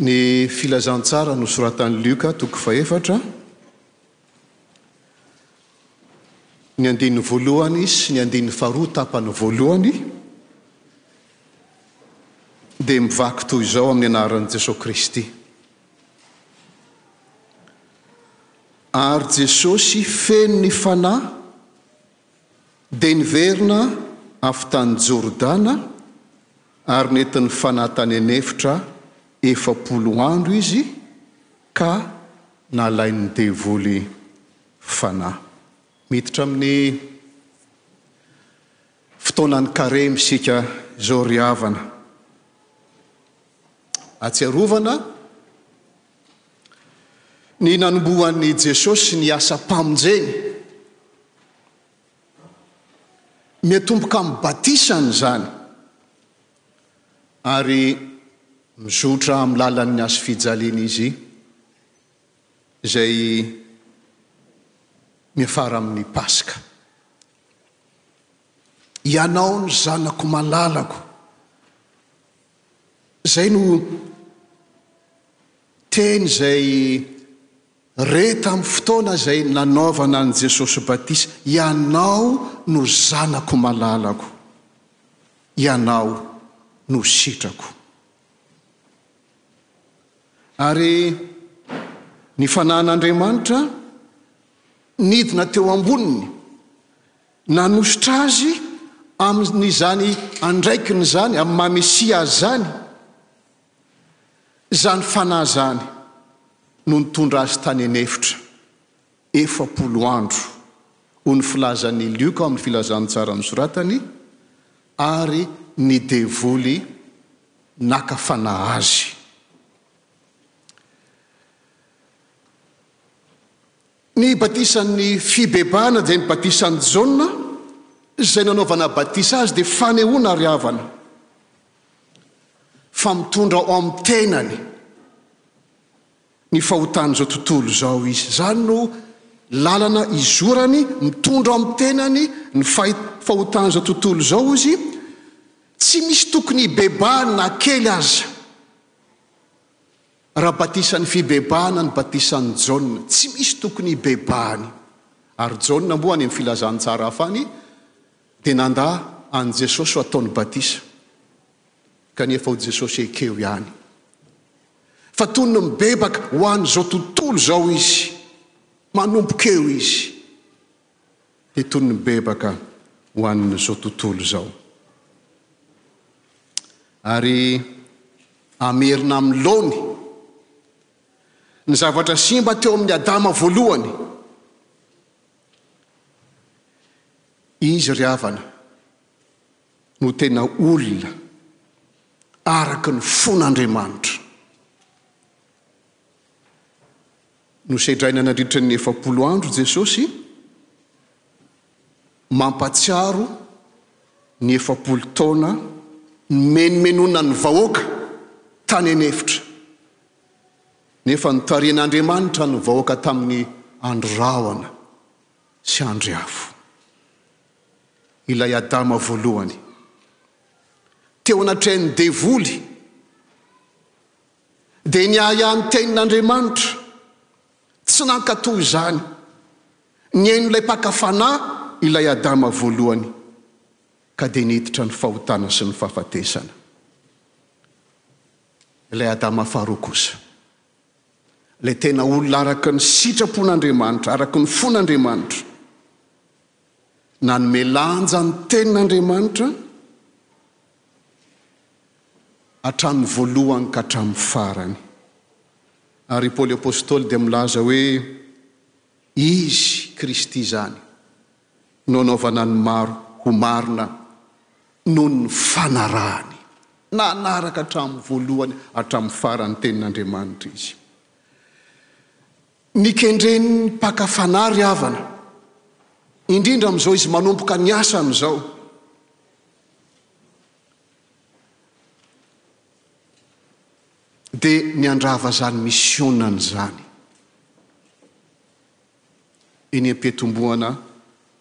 Ny Filazantsara nosoratan'i Lioka toko fahefatra, ny andininy voalohany sy ny andininy faharoa tapany voalohany dia mivaky toy izao amin'ny anaran'i Jesoa Kristy. Ary Jesosy feno ny Fanahy dia niverina avy tany Jordana ary nentin'ny Fanahy tany an'efitra 40 andro izy ka nalain'ny devoly fanahy. Miditra amin'ny fotoanan'ny karemy isika izao ry havana. Ahatsiarovana ny nanombohan'i Jesosy ny asam-pamonjeny. Miatomboka amin'ny batisany izany ary mizotra amin'ny lalan'ny hazofijaliana izy izay miafara amin'ny Paska. Ianao no zanako malalako. Izay no teny izay re tamin'ny fotoana izay nanaovana an'i Jesosy batisa, Ianao no Zanako malalako, Ianao no sitrako. Ary ny Fanahin'Andriamanitra nidina teo amboniny, Nanosotra azy amin'izany andraikiny izany, amin'ny maha Mesia azy izany, izany Fanahy izany no nitondra azy tany an'efitra 40 andro, hoy ny filazan'i Lioka ao amin'ny Filazantsara nosoratany, ary ny devoly naka fanahy azy. Ny batisan'ny fibebahana dia ny batisan'i Jaona, izay nanaovana batisa azy dia fanehoana ry havana fa mitondra ao amin'ny tenany ny fahotan'izao tontolo izao izy. Izany no lalana izorany, mitondra ao amin'ny tenany ny fahotan'izao tontolo izao izy, tsy misy tokony hibebahany na kely aza. Raha batisan'ny fibebahana ny batisan'i Jaona, tsy misy tokony hibebahany. Ary Jaona moa any amin'ny filazantsara hafa any dia nandà an'i Jesosy ho ataony batisa. Kanefa hoy Jesosy ekeo ihany. Fa toy ny mibebaka ho an'izao tontolo izao izy. Manomboka eo izy dia toy ny mibebaka ho an'izao tontolo izao. Ary hamerina amin'ny laony ny zavatra simba teo amin'i Adama voalohany. Izy ry havana no tena olona araka ny fon'Andriamanitra. Nosedraina nandritra ny 40 andro Jesosy. Mampatsiaro ny 40 taona nimenomenona ny vahoaka tany an'efitra, nefa notarihin'Andriamanitra ny vahoaka tamin'ny andry rahona sy andry afo. Ilay Adama voalohany, teo anatrehan'ny devoly, dia niahiahy ny tenin'Andriamanitra, tsy nankatò izany. Nihaino ilay mpaka fanahy ilay Adama voalohany, ka dia niditra ny fahotana sy ny fahafatesana. Ilay Adama faharoa kosa, ilay tena olona araka ny sitrapon'Andriamanitra, araka ny fon'Andriamanitra, nanome lanja ny tenin'Andriamanitra hatramin'ny voalohany ka hatramin'ny farany. Ary i Paoly Apostoly dia milaza hoe, Izy, Kristy izany, no anaovana ny maro ho marina noho ny fanarahany. Nanaraka hatramin'ny voalohany hatramin'ny farany ny Tenin'Andriamanitra izy. Nikendren'ny mpaka fanahy ry havana, indrindra amin'izao izy manomboka ny asany izao. Dia ny handrava izany misionany izany. Eny am-piatombohana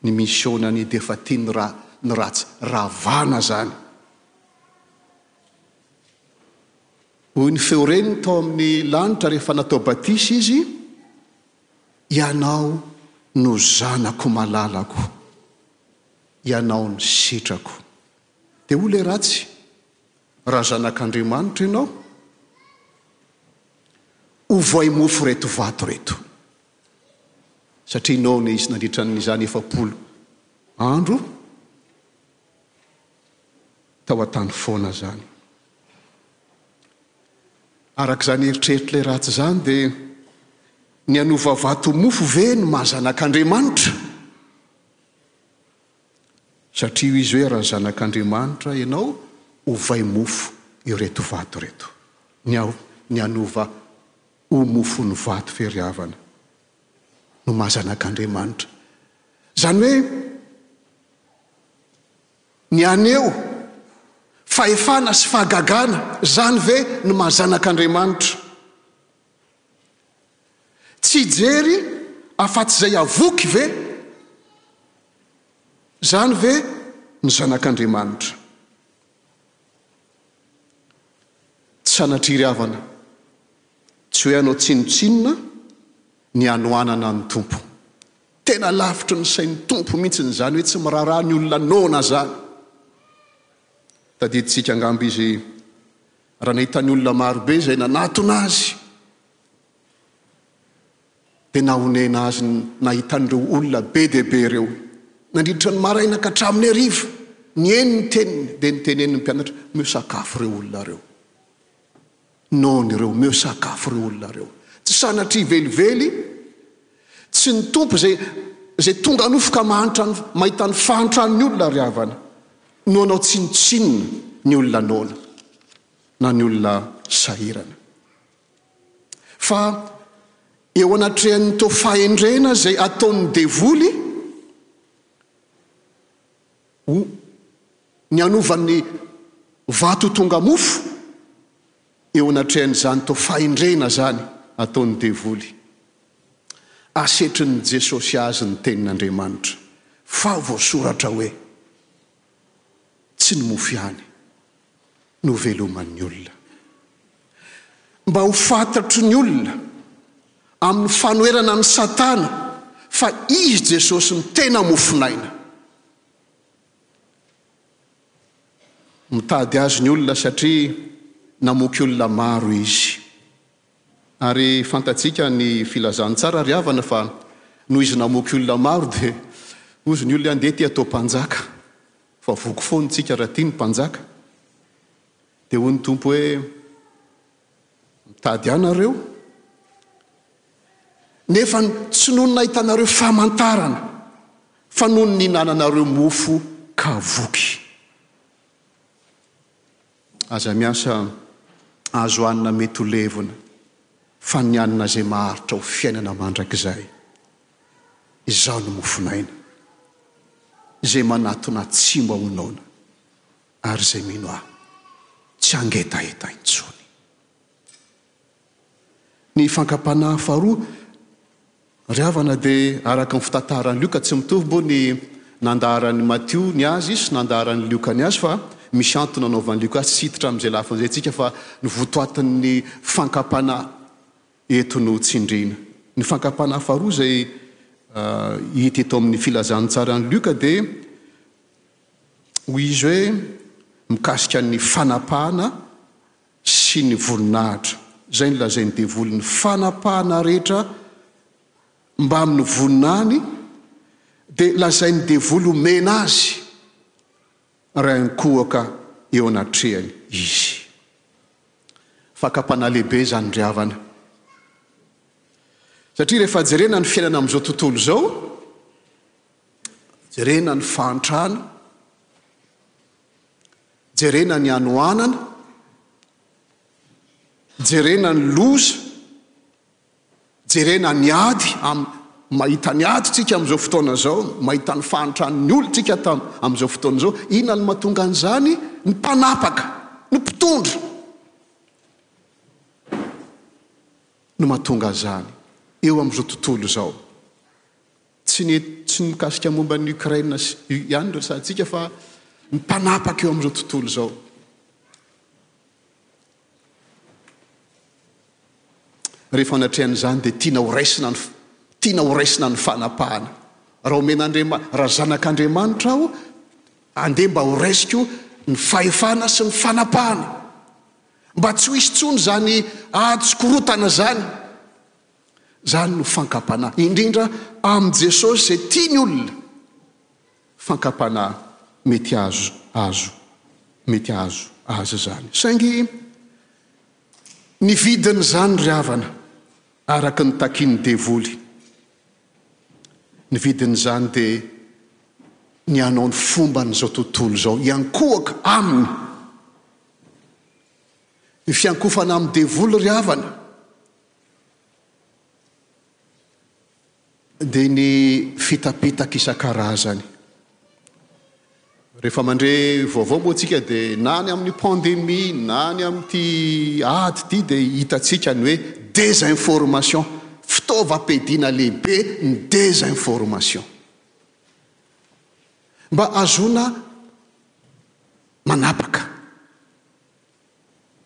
ny misionany dia efa tiany ra ny ratsy ravana izany. Hoy ny feo reniny tao amin'ny lanitra rehefa natao batisa izy, Ianao no Zanako malalako, Ianao no sitrako. Dia hoy ilay ratsy, Raha Zanak'Andriamanitra Ianao, ovoay mofo ireto vato ireto. Satria noana izy nandritra an'izany 40 andro tao an-tany foana izany. Araka izany eritreritr'ilay ratsy izany dia ny hanova vato ho mofo ve no maha zanak'Andriamanitra? Satria hoy izy hoe raha zanak'Andriamanitra ianao, ovay mofo ireto vato ireto. Ny ny hanova ho mofo ny vato ve ry havana no maha zanak'Andriamanitra? Izany hoe ny haneho fahefana sy fahagagana, izany ve no maha zanak'Andriamanitra? Tsy hijery afa-tsy izay havoky ve? Izany ve ny zanak'Andriamanitra? Tsy sanatria ry havana, tsy hoe hanao tsinontsinona ny hanoanana ny Tompo. Tena lavitry ny sain'ny Tompo mihitsy izany hoe tsy miraharaha ny olona noana izany. Tadidintsika angamba izy raha nahita ny olona marobe izay nanatona azy, dia nahonena azy ny nahita an'ireo olona be dia be ireo. Nandritra ny maraina ka hatramin'ny hariva, nihaino ny teniny, dia niteneniny ny mpianatra, Omeo sakafo ireo olona ireo. Noana ireo, omeo sakafo ireo olona ireo. Tsy sanatria velively, tsy ny Tompo izay, izay tonga nofo ka mahantra ny, mahita ny fahantran'ny olona ry havana, no hanao tsinontsinona ny olona noana, na ny olona sahirana. Fa eo anatrehan'ny toa fahendrena izay ataon'ny devoly, ho ny hanova ny vato ho tonga mofo, eo anatrehan'izany toa fahendrena izany ataon'ny devoly, asetrin'i Jesosy azy ny tenin'Andriamanitra, fa voasoratra hoe, Tsy ny mofo ihany no veloman'ny olona. Mba ho fantatry ny olona amin'ny fanoherana an'i Satana fa Izy Jesosy no tena mofon'aina. Mitady Azy ny olona satria namoky olona maro Izy. Ary fantatsika ny filazantsara ry havana fa noho Izy namoky olona maro dia hozy ny olona andeha ity atao mpanjaka fa voky foana tsika raha tia ny mpanjaka. Dia hoy ny Tompo hoe mitady ahy nareo nefa tsy noho ny nahitanareo famantarana fa noho ny nihinananareo mofo ka voky. Aza miasa azo hanina mety ho levona fa ny hanina izay maharitra ho fiainana mandrakizay. Izaho no mofon'aina. Izay manatona tsy mba ho noana ary izay mino Ahy tsy hangetaheta intsony. Ny fankam-panahy faharoa ry havana dia araka ny fitantaran'i Lioka, tsy mitovy moa ny nandaharan'i Matio ny azy sy nandaharan'i Lioka ny azy fa misy antony nanaovan'i Lioka azy, tsy hiditra amin'izay lafiny izay isika fa ny votoatin'ny fankam-panahy eto no tsindriana. Ny fankam-panahy faharoa izay hita eto amin'ny filazantsaran'i Lioka dia hoy izy hoe mikasika ny fanapahana sy ny voninahitra. Izay no lazain'ny devoly, ny fanapahana rehetra mbamin'ny voninahiny dia lazain'ny devoly omena azy raha hinkohoka eo anatrehany izy. Fakam-panahy lehibe izany ry havana. Satria rehefa jerena ny fiainana amin'izao tontolo izao, jerena ny fahantrana, Jerena ny hanoanana, jerena ny loza, jerena ny ady, am, mahita ny ady tsika amin'izao fotoana izao, mahita ny fahantran'ny olona tsika tam, amin'izao fotoana izao. Inona no mahatonga an'izany? Ny mpanapaka, ny mpitondra no mahatonga an'izany eo amin'izao tontolo izao. Tsy ny tsy ny mikasika momba an'i Ukraine sy ihany no resahantsika fa ny mpanapaka eo amin'izao tontolo izao. Rehefa anatrehan'izany dia tiana ho raisina ny tiana ho raisina ny fanapahana. Raha omen'Andriama raha zanak'Andriamanitra aho, andeha mba ho raisiko ny fahefana sy ny fanapahana. Mba tsy ho hisy intsony izany ady sy korontana izany. Izany no fankam-panahy, indrindra amin'i Jesosy izay tia ny olona. Fankam-panahy mety azo azo mety azo azy izany. Saingy ny vidin'izany ry havana, araka ny takian'ny devoly, ny vidin'izany dia ny hanao ny fomban'izao tontolo izao, hiankohoka aminy. Ny fiankofana amin'ny devoly ry havana dia ny fitapitaka isan-karazany. Rehefa mandre vaovao moa tsika dia na ny amin'ny pandemie na ny amin'ity ady ity dia hitantsika ny hoe désinformation, fitaovam-piadiana lehibe ny désinformation. Mba ahazoana manapaka.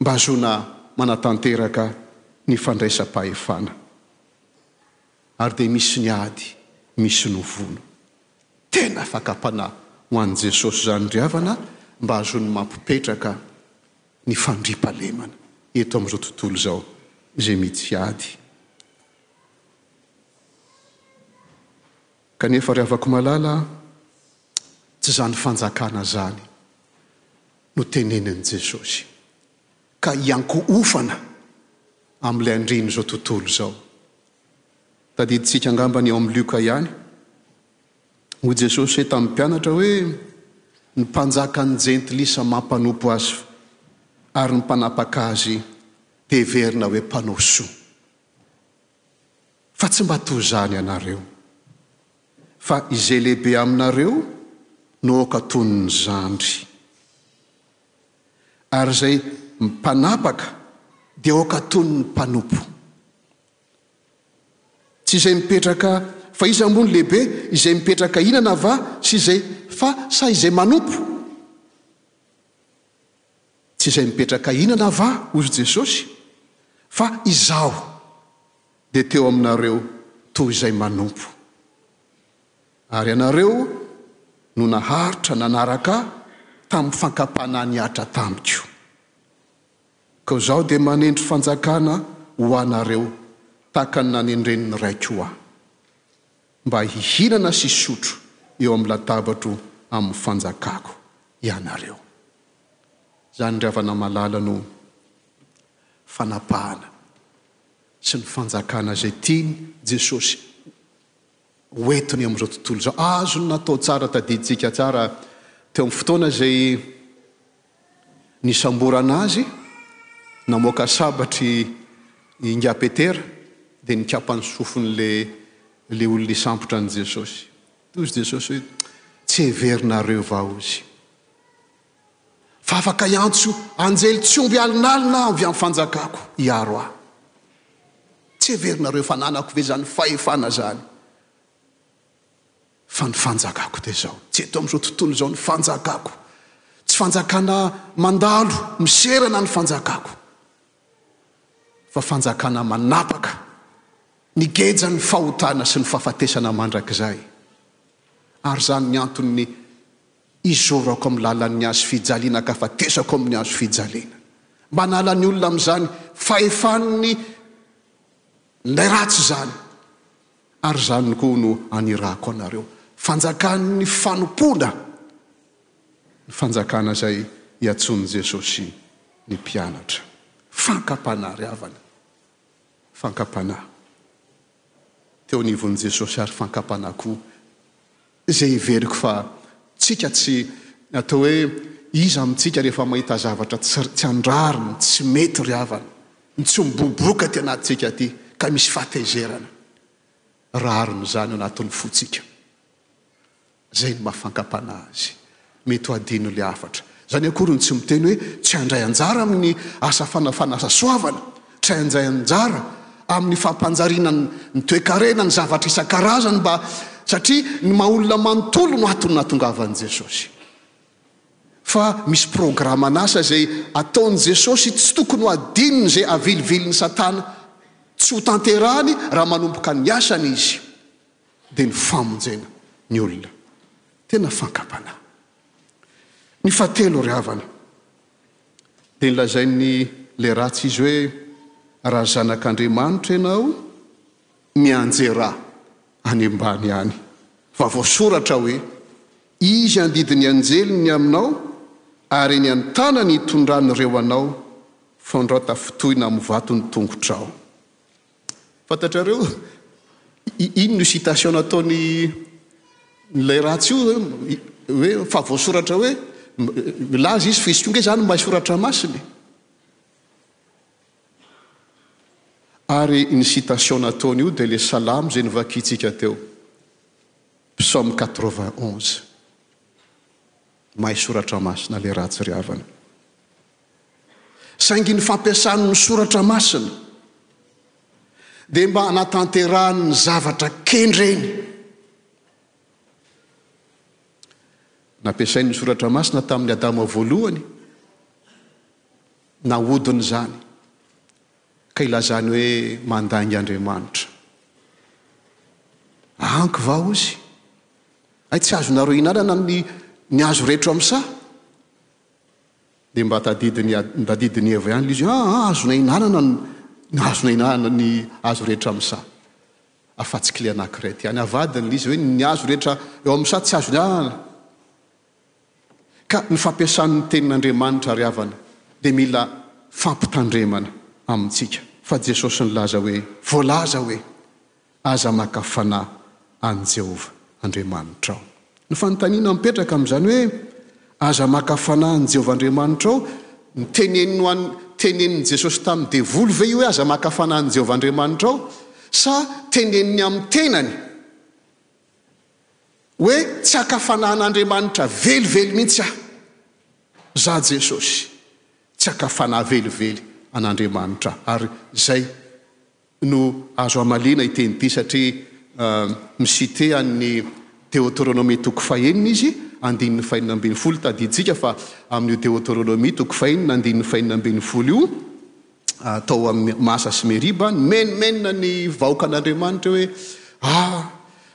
Mba ahazoana manatanteraka ny fandraisam-pahefana. Ary dia misy ny ady, misy ny vono. Tena fakam-panahy ho an'i Jesosy izany ry havana mba ahazoany mampipetraka ny fandriampahalemana eto amin'izao tontolo izao izay misy ady. Kanefa ry havako malala, tsy izany fanjakana izany no tenenin'i Jesosy, ka hiankohofana amin'ilay andrian'izao tontolo izao. Tadidintsika angamba ny ao amin'ny Lioka ihany. Hoy Jesosy tamin'ny mpianatra hoe, Ny mpanjakan'ny jentilisa mampanompo azy, ary ny mpanapaka azy dia heverina hoe mpanao soa. Fa tsy mba toy izany ianareo. Fa izay lehibe aminareo no aoka toy ny zandry. Ary izay mpanapaka dia aoka toy ny mpanompo. Tsy izay mipetraka fa iza moa no lehibe, izay mipetraka hinana va sy izay fa sa izay manompo? Tsy izay mipetraka hinana va, hozy Jesosy, fa izaho dia teo aminareo toy izay manompo. Ary ianareo no naharitra nanaraka ahy tamin'ny fankam-panahy nihatra tamiko. Koa izaho dia manendry fanjakana ho anareo tahaka ny nanendren'ny Raiko ahy, mba hihinana sy hisotro eo amin'ny latabatro amin'ny fanjakako ianareo. Izany ry havana malala no fanapahana sy ny fanjakana izay tian'i Jesosy ho entiny amin'izao tontolo izao. Azony natao tsara, tadidintsika tsara teo amin'ny fotoana izay nisamborana azy, namoaka sabatra i Ingahy Petera dia nikapa ny sofin'ilay ilay olona hisambotra an'i Jesosy. Hoy izy Jesosy hoe, Tsy heverinareo va hozy fa afaka hiantso anjely tsy omby alinalina aho avy amin'ny fanjakako hiaro ahy? Tsy heverinareo fa ananako ve izany fahefana izany? Fa ny fanjakako dia izao, tsy eto amin'izao tontolo izao ny fanjakako. Tsy fanjakana mandalo, miserana ny fanjakako, fa fanjakana manapaka ny gejan'ny fahotana sy ny fahafatesana mandrakizay. Ary izany ny anton'ny izorako amin'ny lalan'ny hazo fijaliana ka afatesako amin'ny hazo fijaliana. Mba hanala ny olona amin'izany fahefan'ny ilay ratsy izany. Ary izany koa no anirahako anareo. Fanjakan'ny fanompoana ny fanjakana izay iantsoan'i Jesosy ny mpianatra. Fankam-panahy ry havana. Fankam-panahy. Teo anivon'i Jesosy ary fankam-panahy koa izay heveriko fa tsika tsy atao hoe iza amintsika rehefa mahita zavatra tsy tsy an-drariny, tsy mety ry havana, ny tsy miboboka aty anatintsika aty ka misy fahatezerana. Rariny izany ao anatin'ny fontsika. Izay no maha fankam-panahy azy. Mety ho adino ilay hafatra. Izany akory no tsy miteny hoe tsy handray anjara amin'ny asa fanasoavana, tsy handray anjara amin'ny fampanjariana ny toekarena, ny zavatra isan-karazany mba satria ny maha olona manontolo no antony nahatongavan'i Jesosy. Fa misy programan'asa izay ataon'i Jesosy tsy tokony ho adinony izay avilivilin'i Satana. Tsy ho tanterahany raha manomboka ny asany Izy, dia ny famonjena ny olona. Tena fankam-panahy. Ny fahatelo ry havana, dia nolazain'ny ilay ratsy izy hoe, raha zanak'Andriamanitra ianao, mianjerà any ambany any, fa voasoratra hoe, Izy handidy ny anjeliny ny aminao, ary eny an-tanany hitondrany ireo anao, fandrao tafintohina amin'ny vato ny tongotrao. Fantatrareo inona io citation nataony ilay ratsy io hoe fa voasoratra hoe milaza izy fa izy koa nge zany mahay soratra masina e. Ary ny citation nataony io dia ilay salamo izay novakintsika teo, psaume 91. Mahay soratra masina ilay ratsy ry havana. Saingy ny fampiasany ny soratra masina dia mba hanatanterahany ny zavatra kendreny. Nampiasainy ny soratra masina tamin'i Adama voalohany, nahodiny izany, ka ilazany hoe mandainga Andriamanitra. Anky va hozy? Hay tsy azonareo ihinanana ny ny hazo rehetra ao amin'ny saha? Dia mba tadidin'i tadidin'i Eva ihany ilay izy, ah, azonay ihinanana ny azonay ihinanana ny hazo rehetra amin'ny saha. Afa-tsy kle anankiray ity ihany. Avadiny ilay izy hoe ny hazo rehetra eo amin'ny saha tsy azo ihinanana. Ka ny fampiasany ny tenin'Andriamanitra ry havana dia mila fampitandremana amintsika. Fa Jesosy nilaza hoe, voalaza hoe, Aza maka fanahy an'i Jehovah Andriamanitrao. Ny fanontaniana mipetraka amin'izany hoe, Aza maka fanahy an'i Jehovah Andriamanitrao, niteneniny ho an'ny, tenenin'i Jesosy tamin'ny devoly ve io hoe aza maka fanahy an'i Jehovah Andriamanitrao, sa teneniny amin'ny tenany hoe tsy haka fanahy an'Andriamanitra velively mihitsy aho, za Jesosy, tsy haka fanahy velively an'Andriamanitra aho, ary izay no azo hamaliana ity teny ity satria mi-citer an'ny Deoteronomia toko fahenina izy, andininy fahenina ambin'ny folo, tadidintsika fa amin'io Deoteronomia toko fahenina andininy fahenina ambin'ny folo io, tao amin'ny Masa sy Meriba, nimenomenona ny vahoakan'Andriamanitra hoe, ah,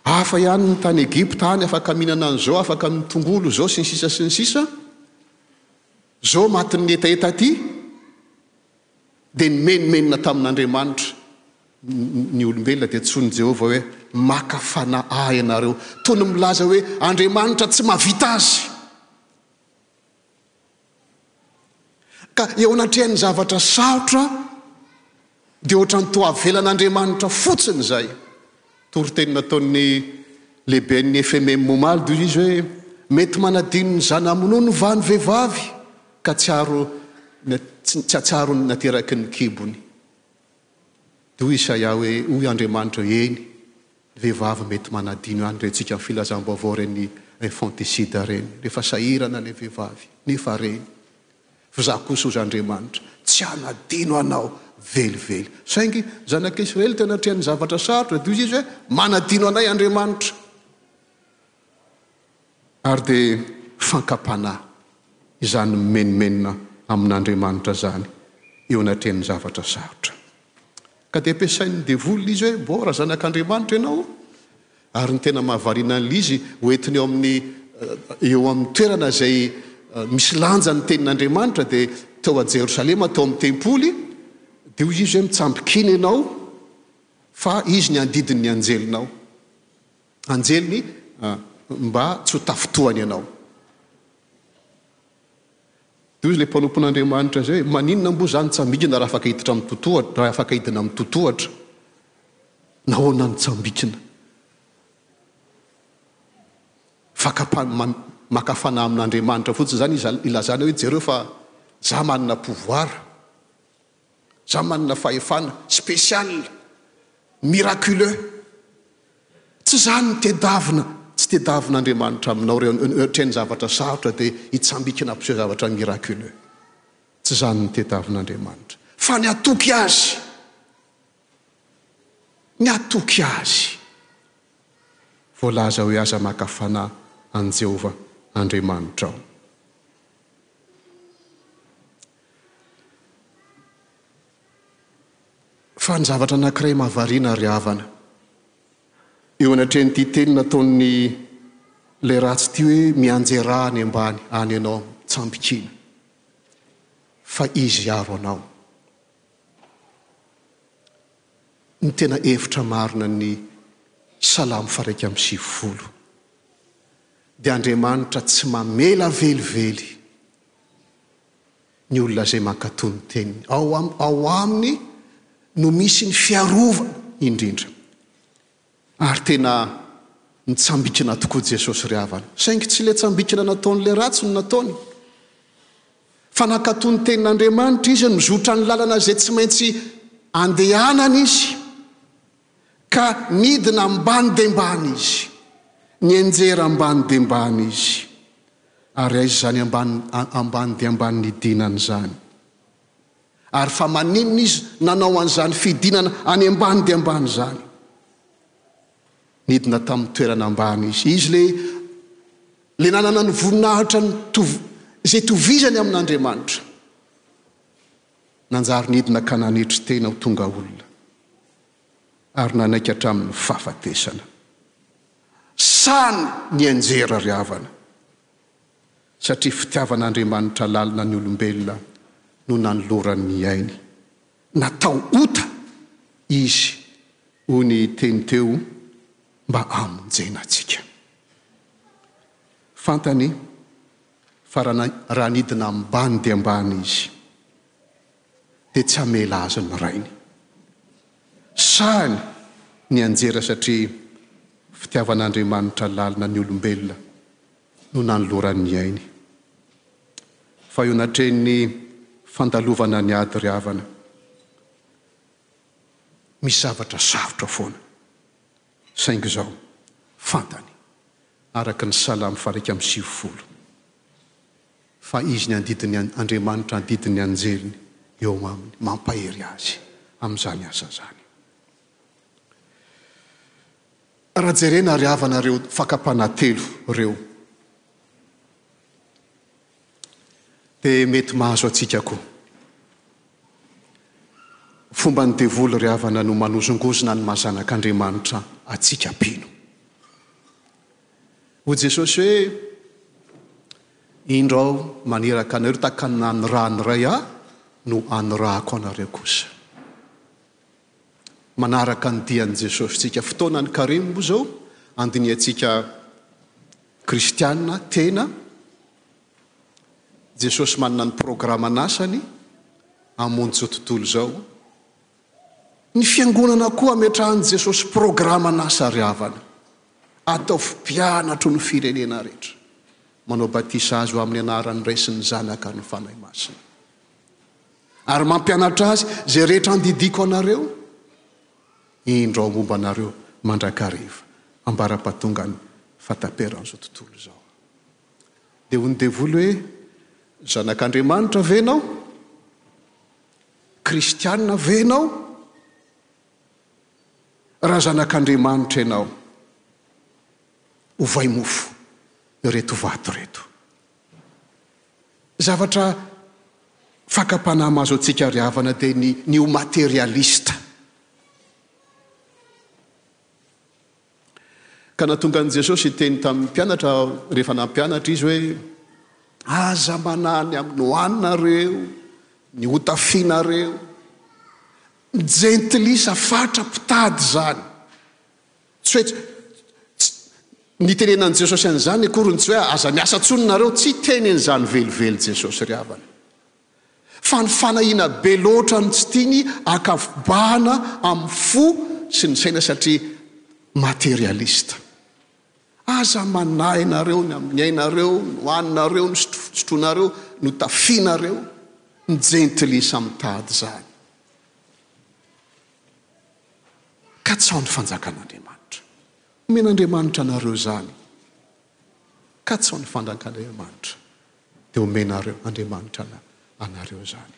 hafa ihany ny tany Egypta any, afaka mihinana an'izao, afaka mitongolo izao, sy ny sisa sy ny sisa, izao matin'ny hetaheta aty. Dia nimenomenona tamin'Andriamanitra ny olombelona, dia antsoin'i Jehovah hoe, Maka fanahy ahy ianareo. Toy ny milaza hoe Andriamanitra tsy mahavita azy. Ka eo anatrehan'ny zavatra sarotra, dia ohatran'ny toa avelan'Andriamanitra fotsiny izay. Toriteny nataon'ny lehiben'ny FMM omaly dia hoy izy hoe, Mety manadino ny zana-minono va ny vehivavy ka tsy aro tsy hatsiaro ny nateraky ny kibony? Dia hoy Isaia hoe, Hoy Andriamanitra hoe, Eny, ny vehivavy mety manadino ihany, rentsika amin'ny filazam-baovao ireny infanticide ireny, rehefa sahirana ilay vehivavy, nefa reny. F'izaho kosa, hozy Andriamanitra, tsy hanadino anao velively. Saingy zanak'Israely teo anatrehan'ny zavatra sarotra, dia hoy izy hoe, Manadino anay Andriamanitra. Ary dia fankam-panahy izany mimenomenona amin'Andriamanitra izany eo anatrehan'ny zavatra sarotra. Ka dia ampiasain'ny devoly izy hoe, Bon, raha zanak'Andriamanitra ianao, ary ny tena mahavariana an'ilay izy, hoentiny eo amin'ny eo amin'ny toerana izay misy lanja ny tenin'Andriamanitra, dia tao a Jerosalema, tao amin'ny tempoly, dia hoy izy hoe, Mitsambikina ianao, fa izy ny handidin'ny anjelinao. Anjeliny mba tsy ho tafintohany ianao. Dia hoy ilay mpanompon'Andriamanitra izay hoe, Maninona moa izaho nitsambikina raha afaka hiditra amin'ny totohatra, raha afaka hidina amin'ny totohatra? Nahoana nitsambikina? Fakam-pa-, maka fanahy amin'Andriamanitra fotsiny izany izy ilazana hoe, jereo fa izaho manana pouvoir. Za manana fahefana spécial, miraculeux. Tsy zany ny tedavina, tsy tedavina Andriamanitra aminao reo ohatren'ny zavatra sarotra dia hitsambikina hampiseho zavatra miraculeux. Tsy zany ny tedavina Andriamanitra. Fa ny hatoky Azy. Ny hatoky Azy. Voalaza hoe aza maka fanahy an'i Jehovah Andriamanitrao. Fa ny zavatra anankiray mahavariana ry havana, eo anatrehan'ity teny nataon'ny ilay ratsy ity hoe mianjerà any ambany any ianao mitsambikina fa izy hiaro anao. Ny tena hevitra marina ny Salamo faha-91 dia Andriamanitra tsy mamela velively ny olona izay mankatò ny teniny. Ao ao aminy no misy ny fiarovana indrindra. Ary tena nitsambikina tokoa Jesosy ry havana. Saingy tsy ilay tsambikina nataon'ilay ratsy no nataony. Fa nankatò ny tenin'Andriamanitra izy, nizotra ny lalana izay tsy maintsy andehanana izy. Ka nidina ambany dia ambany izy. Nianjera ambany dia ambany izy. Ary aiza izany ambany ambany dia ambany nidinany izany? Ary fa maninona izy nanao an'izany fidinana any ambany dia ambany izany? Nidina tamin'ny toerana ambany izy. Izy ilay ilay nanana ny voninahitra nitovy izay itovizany amin'Andriamanitra. Nanjary nidina ka nanetry tena ho tonga olona, ary nanaiky hatramin'ny fahafatesana. Sany nianjera ry havana, satria fitiavan'Andriamanitra lalina ny olombelona no nanolorany ny ainy. Natao ota izy, hoy ny teny teo, mba hamonjena antsika. Fantany fa raha nidina ambany dia ambany izy, dia tsy hamela azy ny rainy. Sahiny nianjera satria fitiavan'Andriamanitra lalina ny olombelona no nanolorany ny ainy. Fa eo anatrehan'ny fandalovana ny ady ry havana, misy zavatra sarotra foana. Saingy izao, fantany, araka ny Salamo faha-91, fa izy ny andidin'ny Andriamanitra andidin'ny anjeliny eo aminy, mampahery azy amin'izany asa izany. Raha jerena ry havana ireo fakam-panahy telo ireo, dia mety mahazo antsika koa. Fomban'ny devoly ry havana no manozongozona ny maha zanak'Andriamanitra antsika mpino. Hoy Jesosy hoe, Indro Aho maniraka anareo tahaka ny nanirahan'ny Ray Ahy no anirahako anareo kosa. Manaraka ny dian'i Jesosy tsika. Fotoanan'ny karemy moa izao andinihantsika kristiana tena. Jesosy manana ny programan'asany hamonjy izao tontolo izao. Ny fiangonana koa ametrahan'i Jesosy programan'asa ry havana. Ataovy mpianatro ny firenena rehetra. Manao batisa azy ho amin'ny anaran'ny Ray sy ny Zanaka ary ny Fanahy Masina. Ary mampianatra azy izay rehetra andidiako anareo, indro aho momba anareo mandrakariva, ambara-pahatongan'ny fahataperan'izao tontolo izao. Dia hoy ny devoly hoe, Zanak'Andriamanitra ve ianao? Kristiana ve ianao? Raha zanak'Andriamanitra ianao, ovay mofo ireto vato ireto. Zavatra fakam-panahy mahazo antsika ry havana dia ny ny ho materialista. Ka nahatonga an'i Jesosy hiteny tamin'ny mpianatra rehefa nampianatra izy hoe, Aza manahy ny amin'ny hohaninareo, ny hotafianareo. Ny jentilisa fatra mpitady izany. Tsy hoe tsy nitenenan'i Jesosy an'izany akory ny tsy hoe aza miasa intsony nareo, tsy hiteny an'izany velively Jesosy ry havana. Fa ny fanahiana be loatra no tsy tiany ankavobahana amin'ny fo sy ny saina satria materialiste. Aza manahy nareo ny amin'ny ainareo, ny hohaninareo, ny sotroinareo, ny hotafianareo, ny jentilisa mitady izany. Katsaho ny fanjakan'Andriamanitra. Omen'Andriamanitra anareo izany. Katsaho ny fanjakan'Andriamanitra, dia omenareo Andriamanitra anareo izany.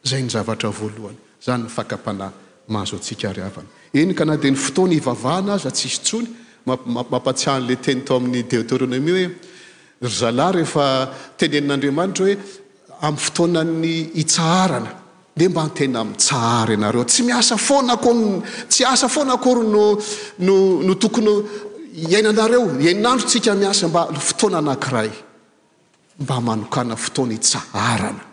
Izay ny zavatra voalohany. Izany ny fakam-panahy mahazo antsika ry havana. Eny ka na dia ny fotoana hivavahana aza tsisy intsony, mampatsiahy an'ilay teny tao amin'ny Deoteronomia hoe, ry zalahy rehefa tenenin'Andriamanitra hoe amin'ny fotoanan'ny hitsaharana. Dia mba tena mitsahara ianareo. Tsy miasa foana akory, tsy asa foana akory no, no, no tokony iainanareo. Herinandro tsika miasa, mba fotoana anankiray. Mba manokàna fotoana hitsaharana.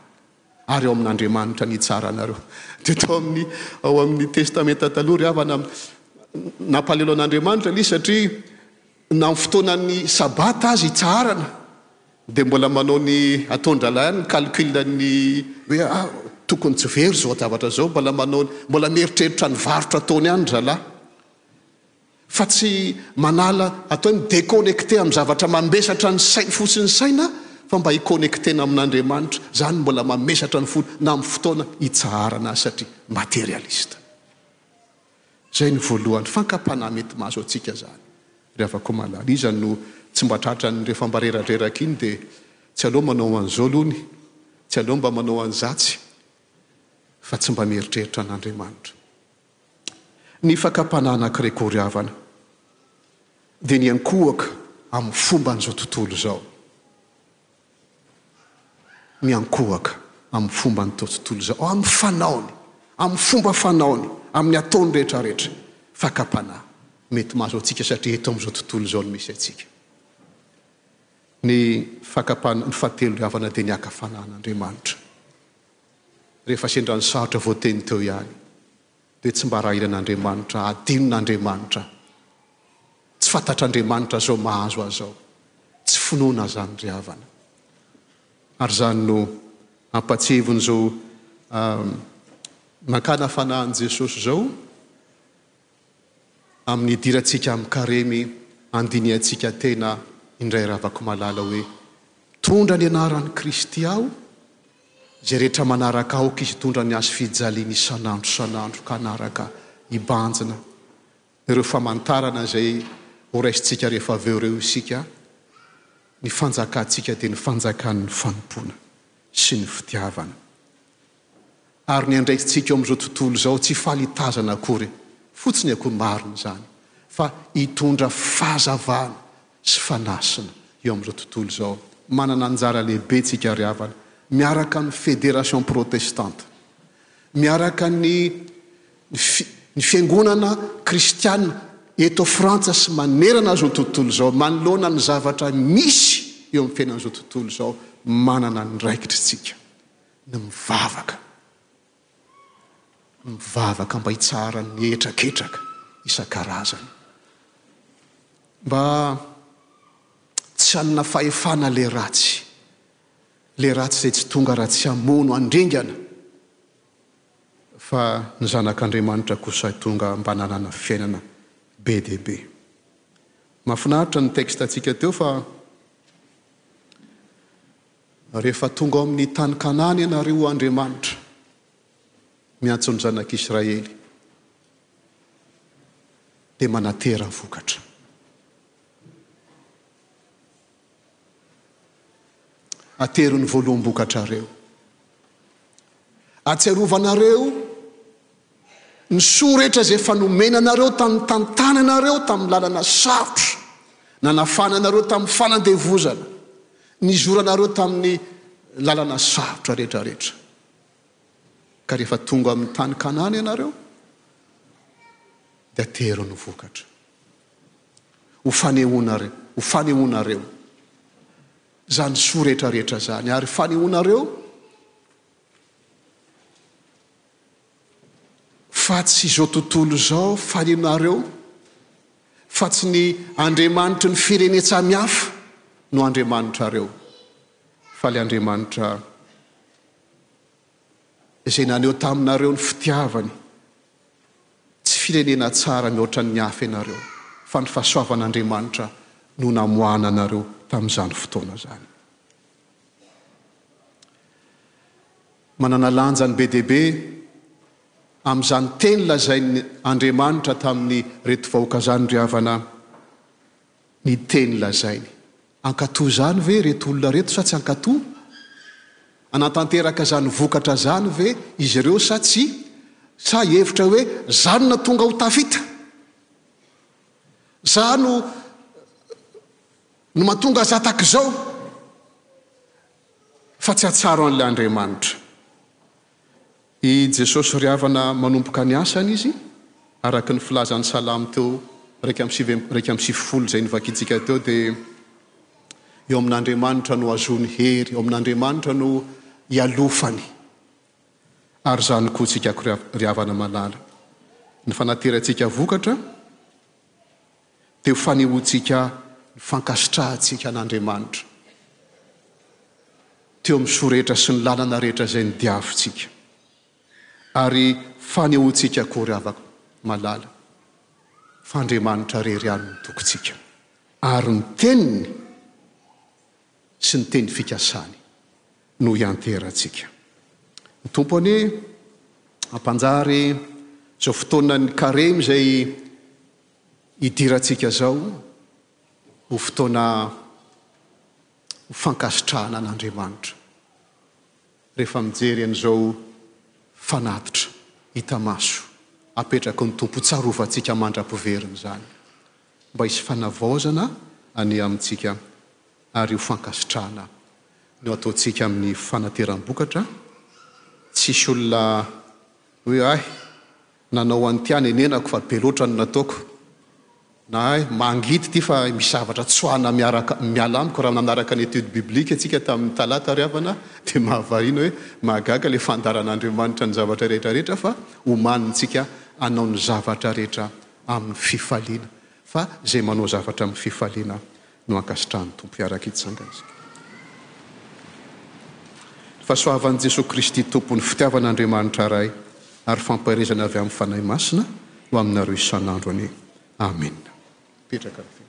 Ary ao amin'Andriamanitra ny hitsaharanareo. Dia tao amin'ny, ao amin'ny Testamenta Taloha ry havana, nampalelo an'Andriamanitra ilay izy satria na amin'ny fotoanan'ny Sabata aza hitsaharana, Dia mbola manao ny ataon-drahalahy ihany ny calcul ny hoe ah tokony tsy very izao zavatra izao, mbola manao mbola mieritreritra ny varotra ataony ihany ry zalahy. Fa tsy manala atao hoe mi-deconnecter amin'ny zavatra mambesatra ny sainy fotsiny saina fa mba hi-connecter-na amin'Andriamanitra. Izany mbola mamesatra ny fony na amin'ny fotoana hitsaharana azy satria materialiste. Izay no voalohany fankam-panahy mety mahazo antsika izany ry havako malala. Iza no tsy mba tratran'ny rehefa mba reradreraka iny dia tsy aleo manao an'izao aloha ny, tsy aleo mba manao an'izatsy fa tsy mba mieritreritra an'Andriamanitra. Ny fakam-panahy anankiray koa ry havana dia ny hiankohoka amin'ny fomban'izao tontolo izao. miankohoka amin'ny fomban'itao tontolo izao, amin'ny fanaony, amin'ny fomba fanaony, amin'ny ataony rehetra rehetra. Fakam-panahy mety mahazo antsika satria eto amin'izao tontolo izao no misy antsika. Ny fakam-panahy, ny fahatelo ry havana dia ny haka fanahin'Andriamanitra. Rehefa sendra ny sarotra voateny teo ihany dia tsy mba rahiran'Andriamanitra, adinon'Andriamanitra. Tsy fantatr'Andriamanitra izao mahazo azy izao. Tsy finoana izany ry havana. Ary izany no ampatsiahivin'izao nankana fanahin'i Jesosy izao amin'ny hidirantsika amin'ny karemy handinihantsika tena indray ravako malala hoe mitondra ny anaran'i Kristy aho, izay rehetra manaraka aoka izy hitondra ny hazo fijaliany isan'andro isan'andro ka hanaraka hibanjina ireo famantarana izay horaisintsika rehefa avy eo ireo isika, ny fanjakantsika dia ny fanjakan'ny fanompoana sy ny fitiavana. Ary ny andraikitsika eo amin'izao tontolo izao tsy faly hitazana akory fotsiny akory marina izany fa hitondra fahazavana sy fanasina eo amin'izao tontolo izao. Manana anjara lehibe tsika ry havana miaraka amin'ny Fédération Protestante, miaraka ny ny fiangonana kristiana eto Frantsa sy manerana izao tontolo izao manoloana ny zavatra misy eo amin'ny fiainan'izao tontolo izao manana andraikitra isika ny mivavaka ny mivavaka mba hitsaharan'ny hetraketraka isan-karazany mba tsy hanana fahefana le ratsy le ratsy izay tsy tonga raha tsy hamono handringana Fa ny Zanak'Andriamanitra kosa tonga mba nanana fiainana be dia be. Mahafinaritra ny texte-ntsika teo fa rehefa tonga ao amin'ny tany Kanana ianareo Andriamanitra miantso ny zanak'Israely dia manatera vokatra. Atero ny voaloham-bokatrareo. Ahatsiarovanareo ny soa rehetra izay efa nomena anareo tamin'ny tantananareo tamin'ny lalana sarotra, nanafana anareo tamin'ny fanandevozana, nizoranareo tamin'ny lalana sarotra rehetra rehetra. Ka rehefa tonga amin'ny tany Kanana ianareo, dia atero ny vokatra. Ho fanehoanareo, ho fanehoanareo izany soa rehetra rehetra izany, ary fanehoanareo fa tsy izao tontolo izao, fanehoanareo fa tsy ny andriamanitry ny firenen-tsamihafa no andriamanitrareo, fa ilay Andriamanitra izay naneho taminareo ny fitiavany. Tsy firenena tsara mihoatra ny hafa ianareo, fa ny fahasoavan'Andriamanitra no namoahana anareo tamin'izany fotoana izany. Manana lanjany be dia be amin'izany teny lazain' Andriamanitra tamin'ireto vahoaka izany ry havana ny teny lazainy. Hankatò izany ve ireto olona ireto sa tsy hankatò? Hanatanteraka izany vokatra izany ve izy ireo sa tsia? Sa hihevitra hoe, 'Za no nahatonga ho tafita. Za no no mahatonga aza tahaka izao. Fa tsy hahatsaro an'ilay Andriamanitra. I Jesosy ry havana manomboka ny asany Izy, araka ny filazan'ny Salamo teo 91 izay novakintsika teo dia eo amin'Andriamanitra no ahazoany hery, eo amin'Andriamanitra no ialofany. Ary izany koa tsika ry havana malala. Ny fanaterantsika vokatra dia ho fanehoantsika ny fankasitrahantsika an'Andriamanitra teo amin'ny soa rehetra sy ny lalana rehetra izay nodiavintsika. Ary fanehoantsika koa ry havako malala fa Andriamanitra irery ihany no tokintsika ary ny teniny sy ny teny fikasany no hianteherantsika. Ny Tompo anie hampanjary izao fotoanan'ny karemy izay hidirantsika izao ho fotoana ho fankasitrahana an'Andriamanitra rehefa mijery an'izao fanatitra hita maso apetraky ny Tompo hotsarovantsika mandra-piverina izany mba hisy fanavaozana anie amintsika ary io fankasitrahana no ataontsika amin'ny fanateram-bokatra, tsisy olona hoe hay nanao an'ity aho nenenako fa be loatra ny nataoko, na hay mangidy ity fa misy zavatra tsoahana miaraka miala amiko, raha nanaraka ny étude biblique tsika tamin'ny talata ry havana dia mahavariana hoe mahagaga ilay fandaharan'Andriamanitra ny zavatra rehetra rehetra fa omanintsika hanao ny zavatra rehetra amin'ny fifaliana fa izay manao zavatra amin'ny fifaliana no ankasitrahan'ny Tompo hiaraka hitsangana isika. Ny fahasoavan'i Jesoa Kristy Tompo, ny fitiavan'Andriamanitra Ray ary fampaherezana avy amin'ny Fanahy Masina ho aminareo isan'andro anie. Amena. Mipetraka ny.